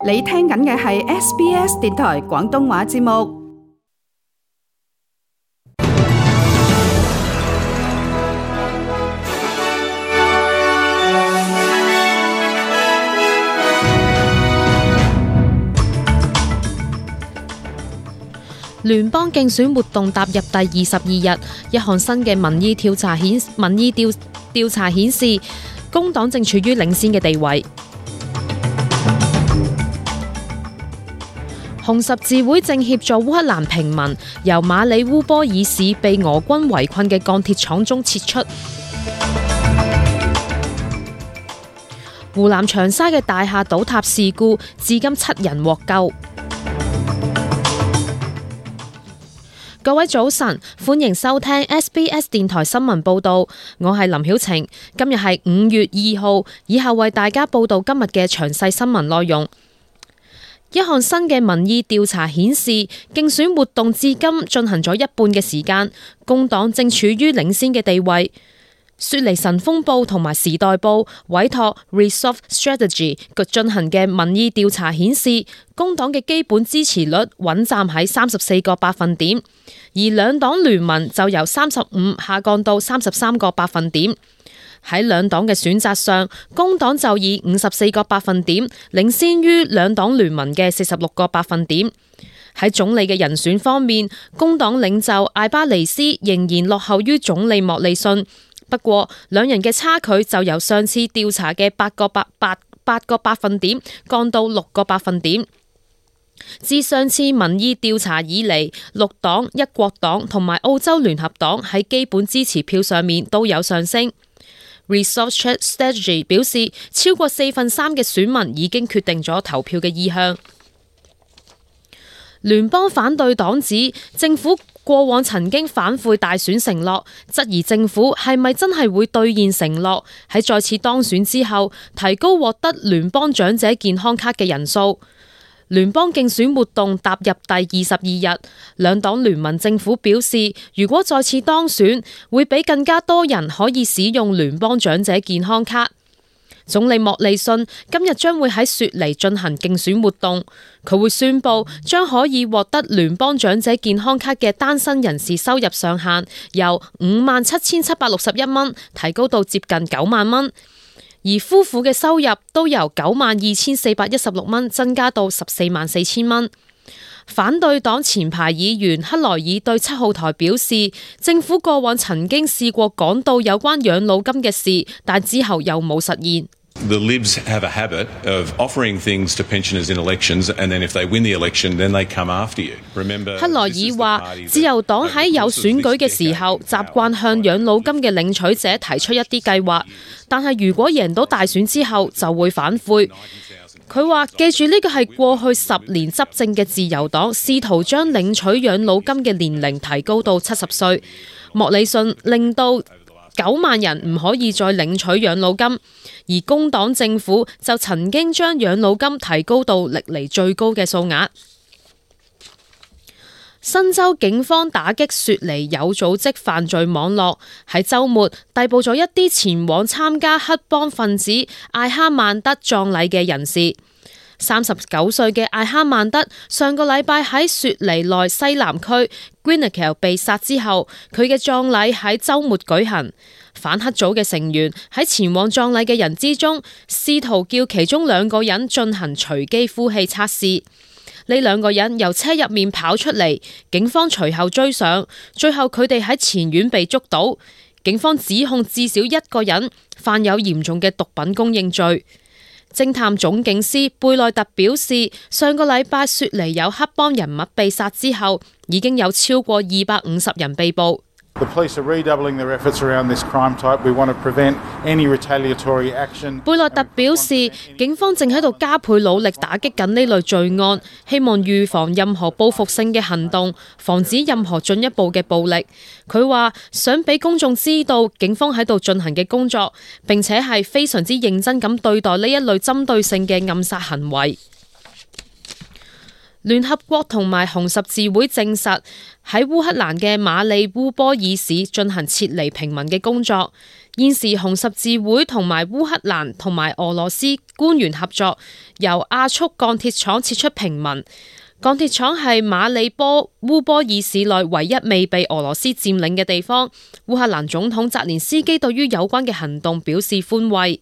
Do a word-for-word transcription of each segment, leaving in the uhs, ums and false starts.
你聽緊嘅係 S B S 電台廣東話節目。聯邦競選活動踏入第二十二日，一項新嘅民意調查顯民意調調查顯示，工黨正處於領先嘅地位。紅十字會正協助烏克蘭平民由馬里烏波爾市被俄軍圍困嘅鋼鐵廠中撤出。湖南長沙嘅大廈倒塌事故，至今七人獲救。各位早晨，歡迎收聽 S B S 電台新聞報道，我係林曉晴。今日係五月二號，以下為大家報道今日嘅詳細新聞內容。一項新嘅民意調查顯示，競選活動至今進行咗一半嘅時間，工黨正處於領先嘅地位。雪梨晨鋒報同埋時代報委託 Resolve Strategy 進行嘅民意調查顯示，工黨嘅基本支持率穩站喺三十四個百分點，而兩黨聯盟就由三十五下降到三十三個百分點。喺兩黨嘅選擇上，工黨就以五十四個百分點領先於兩黨聯盟嘅四十六個百分點。喺總理嘅人選方面，工黨領袖艾巴尼斯仍然落後於總理莫利遜。不過，兩人嘅差距就由上次調查嘅八個八八八個百分點降到六個百分點。自上次民意調查以嚟，綠黨、一國黨同埋澳洲聯合黨喺基本支持票上面都有上升。Resolve Strategy 表示，超過四分三嘅選民已經決定咗投票嘅意向。聯邦反對黨指政府過往曾經反悔大選承諾，質疑政府係咪真係會兌現承諾，喺再次當選之後提高獲得聯邦長者健康卡嘅人數。聯邦競選活動踏入第二十二日，兩黨聯盟政府表示，如果再次當選，會俾更加多人可以使用聯邦長者健康卡。總理莫利遜今日將會喺雪梨進行競選活動，佢會宣布將可以獲得聯邦長者健康卡嘅單身人士收入上限由五萬七千七百六十一蚊提高到接近九萬蚊，而夫婦嘅收入都由九萬二千四百一十六蚊增加到十四萬四千蚊。反對黨前排議員克萊爾對七號台表示，政府過往曾經試過講到有關養老金嘅事，但之後又冇實現。The Libs have a habit of offering things to pensioners in elections, and then if they win the election, then they come after you. Remember, 克萊爾話，自由黨喺有選舉嘅時候，習慣向養老金嘅領取者提出一啲計劃，但係如果贏到大選之後，就會反悔。佢話：記住呢個係過去十年執政嘅自由黨試圖將領取養老金嘅年齡提高到七十歲。莫里遜令到九萬人唔可以再領取養老金，而工黨政府就曾經將養老金提高到歷嚟最高嘅數額。新州警方打擊雪梨有組織犯罪網絡，喺週末逮捕咗一啲前往參加黑幫分子艾哈曼德葬禮嘅人士。三十九歲嘅艾哈曼德上個禮拜喺雪梨內西南區 Greenock 被殺之後，佢嘅葬禮喺週末舉行。反黑組嘅成員喺前往葬禮嘅人之中，試圖叫其中兩個人進行隨機呼氣測試。呢兩個人由車入面跑出嚟，警方隨後追上，最後佢哋喺前院被捉到。警方指控至少一個人犯有嚴重嘅毒品供應罪。偵探總警司貝內特表示，上個禮拜雪梨有黑幫人物被殺之後，已經有超過二百五十人被捕。The police are redoubling their efforts around this crime type. We want to prevent any retaliatory action. 貝內特表示，警方正喺度加倍努力打擊緊呢類罪案，希望預防任何報復性嘅行動，防止任何進一步嘅暴力。佢話想俾公眾知道警方喺度進行嘅工作，並且係非常之認真咁對待呢一類針對性嘅暗殺行為。聯合國同埋紅十字會證實喺烏克蘭嘅馬里烏波爾市進行撤離平民嘅工作。現時紅十字會同埋烏克蘭同埋俄羅斯官員合作，由亞速鋼鐵廠撤出平民。鋼鐵廠係馬里波烏波爾市內唯一未被俄羅斯佔領嘅地方。烏克蘭總統澤連斯基對於有關嘅行動表示歡慰。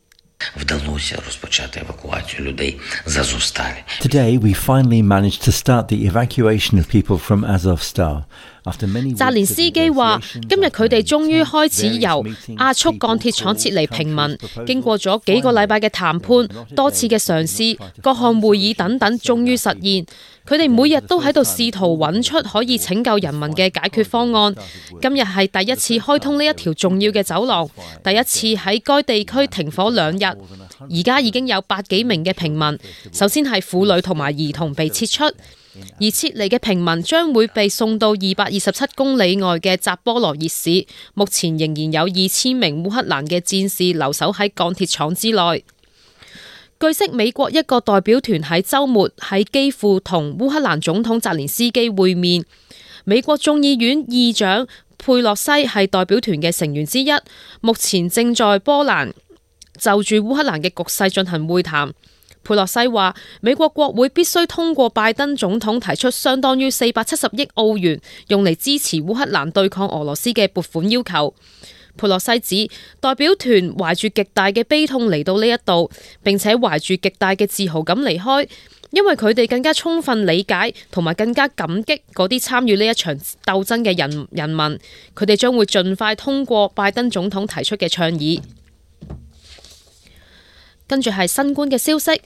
Today we finally managed to start the evacuation of people from Azovstal. 澤連斯基話：今日佢哋終於開始由亞速鋼鐵廠撤離平民，經過咗幾個禮拜嘅談判、多次嘅嘗試、各項會議等等，終於實現。佢哋每日都喺度試圖揾出可以拯救人民嘅解決方案。今日係第一次開通呢一條重要嘅走廊，第一次喺該地區停火兩日。而家已經有百幾名嘅平民，首先係婦女同埋兒童被撤出。而撤離嘅平民將會被送到二百二十七公里外嘅扎波羅熱市，目前仍然有二千名烏克蘭嘅戰士留守喺鋼鐵廠之內。據悉，美國一個代表團喺週末喺基輔同烏克蘭總統澤連斯基會面，美國眾議院議長佩洛西係代表團嘅成員之一，目前正在波蘭就住烏克蘭嘅局勢進行會談。佩洛西話：美國國會必須通過拜登總統提出相當於四百七十億澳元用嚟支持烏克蘭對抗俄羅斯嘅撥款要求。佩洛西指代表團懷住極大嘅悲痛嚟到呢一度，並且懷住極大嘅自豪感離開，因為佢哋更加充分理解同埋更加感激嗰啲參與呢一場鬥爭嘅人人民。佢哋將會盡快通過拜登總統提出嘅倡議。跟住係新冠嘅消息，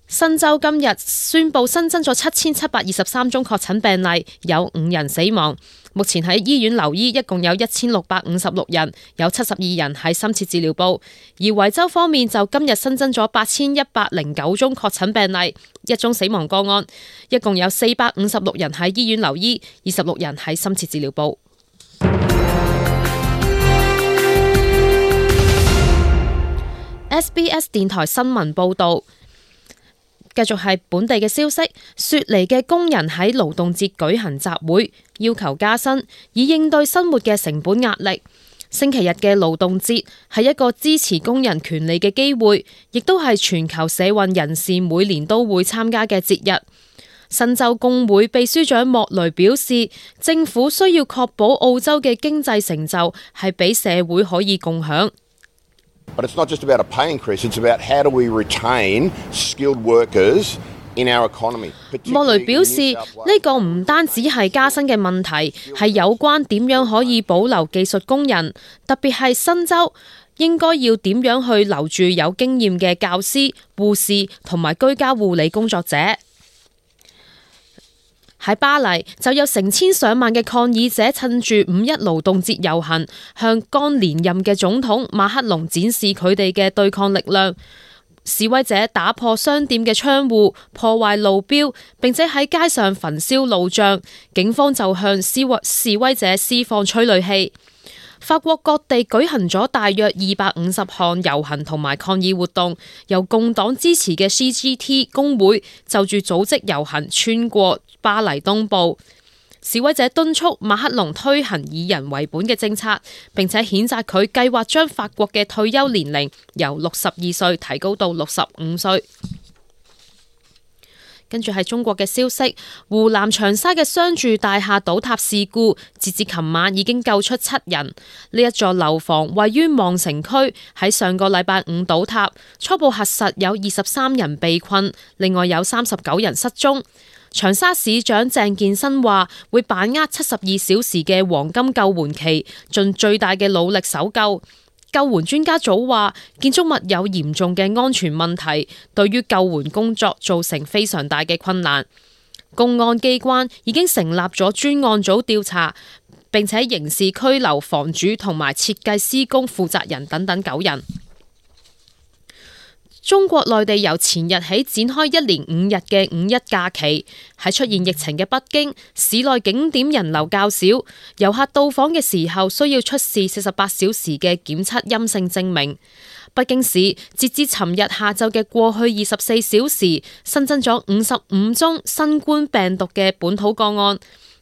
新州今日宣布新增咗七千七百二十三宗確診病例，有五人死亡。目前喺醫院留醫一共有一千六百五十六人，有七十二人喺深切治療部。而維州方面就今日新增咗八千一百零九宗確診病例，一宗死亡個案，一共有四百五十六人喺醫院留醫，二十六人喺深切治療部。S B S 電台新聞報道，繼續係本地嘅消息。雪梨嘅工人喺勞動節舉行集會，要求加薪，以應對生活嘅成本壓力。星期日嘅勞動節係一個支持工人權利嘅機會，亦都係全球社運人士每年都會參加嘅節日。新州工會秘書長莫雷表示，政府需要確保澳洲嘅經濟成就係俾社會可以共享。But it's not just about a pay increase, it's about how do we retain skilled workers in our economy. 莫雷表示，呢個唔單止係加薪嘅問題，係有關點樣可以保留技術工人，特別係新州應該要點樣去留住有經驗嘅教師、護士同埋居家護理工作者。喺巴黎就有成千上萬嘅抗議者趁住五一勞動節遊行，向剛連任嘅總統馬克龍展示佢哋嘅對抗力量。示威者打破商店嘅窗戶，破壞路標，並且喺街上焚燒路障。警方就向示威示威者施放催淚氣。法國各地舉行咗大約二百五十項遊行同埋抗議活動，由共黨支持嘅 C G T 工會就住組織遊行穿過巴黎東部。示威者敦促馬克龍推行以人為本嘅政策，並且譴責佢計劃將法國嘅退休年齡由六十二歲提高到六十五歲。跟住係中國嘅消息，湖南長沙嘅商住大廈倒塌事故，截至琴晚已經救出七人。呢一座樓房位於望城區，喺上個禮拜五倒塌，初步核實有二十三人被困，另外有三十九人失蹤。長沙市長鄭建新話會把握七十二小時嘅黃金救援期，盡最大嘅努力搜救。救援專家組話，建築物有嚴重嘅安全問題，對於救援工作造成非常大嘅困難。公安機關已經成立咗專案組調查，並且刑事拘留房主同埋設計施工負責人等等九人。中國內地由前日起展開一連五日嘅五一假期，喺出現疫情嘅北京，市內景點人流較少，遊客到訪嘅時候需要出示四十八小時嘅檢測陰性證明。北京市截至尋日下晝嘅過去二十四小時新增咗五十五宗新冠病毒嘅本土個案，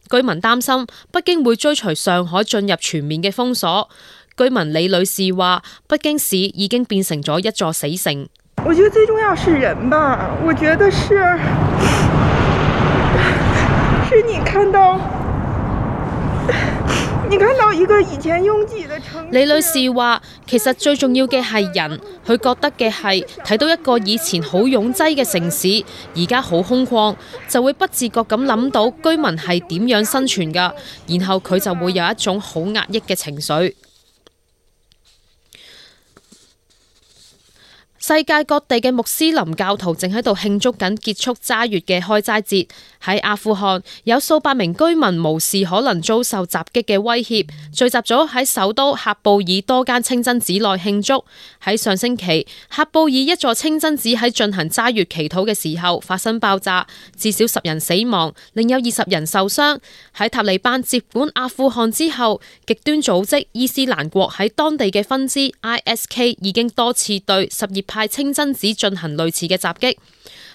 居民擔心北京會追隨上海進入全面嘅封鎖。居民李女士話：北京市已經變成咗一座死城。我覺得最重要是人吧，我覺得是，是你看到。你看到一個以前擁擠的城市。李女士話：其實最重要嘅係人，佢覺得嘅係睇到一個以前好擁擠嘅城市，而家好空曠，就會不自覺咁諗到居民係點樣生存㗎，然後佢就會有一種好壓抑嘅情緒。世界各地嘅穆斯林教徒正喺度慶祝緊結束齋月嘅開齋節。喺阿富汗，有數百名居民無視可能遭受襲擊嘅威脅，聚集咗喺首都喀布爾多間清真寺內慶祝。喺上星期，喀布爾一座清真寺喺進行齋月祈禱嘅時候發生爆炸，至少十人死亡，另有二十人受傷。喺塔利班接管阿富汗之後，極端組織伊斯蘭國喺當地嘅分支 I S K 已經多次對什葉派清真寺進行類似嘅襲擊。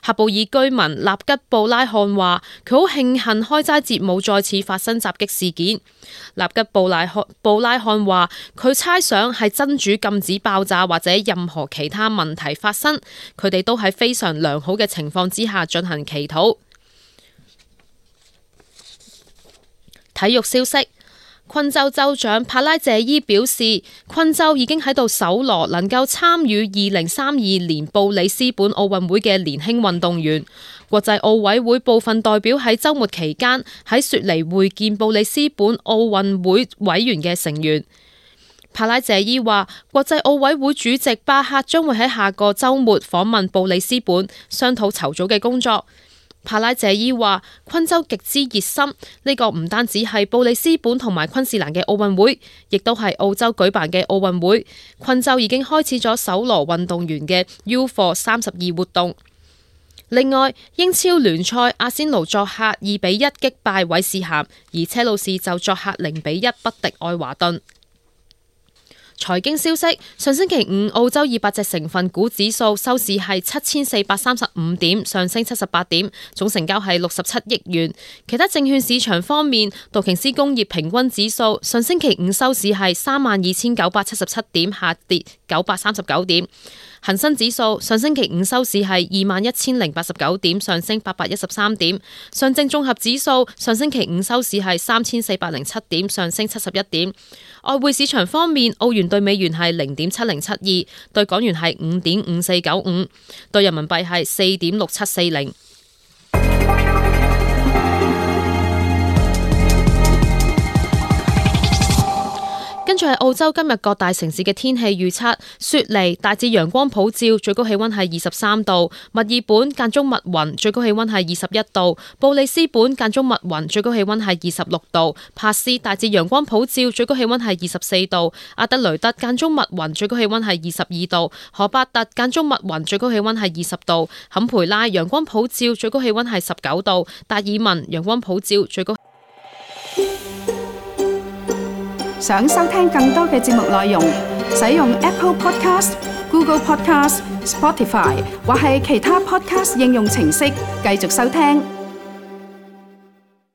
喀布爾居民納吉布拉漢話：佢好慶幸開齋節冇再次發生襲擊事件。納吉布拉漢布拉漢話：佢猜想係真主禁止爆炸或者任何其他問題發生，佢哋都喺非常良好嘅情況之下進行祈禱。體育消息。昆州州長帕拉謝伊表示，昆州已經喺度搜羅能夠參與二零三二年布里斯本奧運會嘅年輕運動員。國際奧委會部分代表喺週末期間喺雪梨會見布里斯本奧運會委員嘅成員。帕拉謝伊話，國際奧委會主席巴克將會喺下個週末訪問布里斯本，商討籌組嘅工作。帕拉謝伊話：昆州極之熱心，呢、這個唔單止係布里斯本同埋昆士蘭嘅奧運會，亦都係澳洲舉辦嘅奧運會。昆州已經開始咗搜羅運動員嘅 U 貨三十二活動。另外，英超聯賽阿仙奴作客二比一擊敗韋士咸，而車路士就作客零比一不敵愛華頓。財經消息：上星期五，澳洲二百隻成分股指數收市係七千四百三十五點，上升七十八點，總成交係六十七億元。其他證券市場方面，道瓊斯工業平均指數上星期五收市係三萬二千九百七十七點，下跌九百三十九點。恒生指數上星期五收市係二萬一千零八十九點，上升八百一十三點。上證綜合指數上星期五收市係三千四百零七點，上升七十一點。外匯市場方面，澳元對美元係零點七零七二，對港元係五點五四九五，對人民幣係四點六七四零。跟住係澳洲今日各大城市嘅天氣預測：雪梨大致陽光普照，最高氣溫係二十三度；墨爾本間中密雲，最高氣溫係二十一度；布里斯本間中密雲，最高氣溫係二十六度；帕斯大致陽光普照，最高氣溫係二十四度；阿德雷德間中密雲，最高氣溫係二十二度；荷伯特間中密雲，最高氣溫係二十度；坎培拉陽光普照，最高氣溫係十九度；達爾文陽光普照，最高。想收聽更多嘅節目內容，使用 Apple Podcast、Google Podcast、Spotify 或係其他 Podcast 應用程式繼續收聽。